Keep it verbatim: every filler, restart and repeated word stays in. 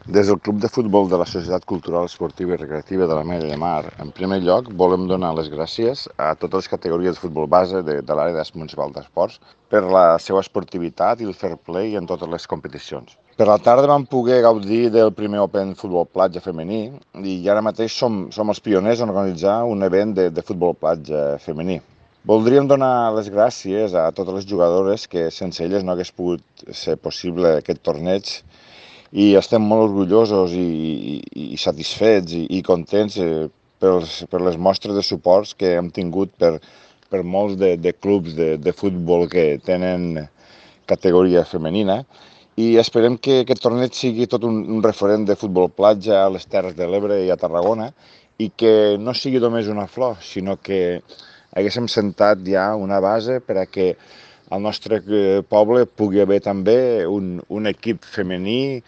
Des del Club de Futbol de la Societat Cultural Esportiva i Recreativa de l'Ametlla de Mar, en primer lloc, volem donar les gràcies a totes les categories de futbol base de, de l'àrea municipal d'esports per la seva esportivitat i el fair play en totes les competicions. Per la tarda vam poder gaudir del primer Open Futbol Platja femení i ara mateix som, som els pioners en organitzar un event de, de futbol platja femení. Voldríem donar les gràcies a totes les jugadores que sense elles no hagués pogut ser possible aquest torneig i estem molt orgullosos i, i, i satisfets i, i contents eh, pels, per les mostres de suports que hem tingut per, per molts de, de clubs de, de futbol que tenen categoria femenina i esperem que aquest torneig sigui tot un, un referent de futbol platja a les Terres de l'Ebre i a Tarragona i que no sigui només una flor, sinó que haguéssim sentat ja una base per a que al nostre poble pugui haver també un, un equip femení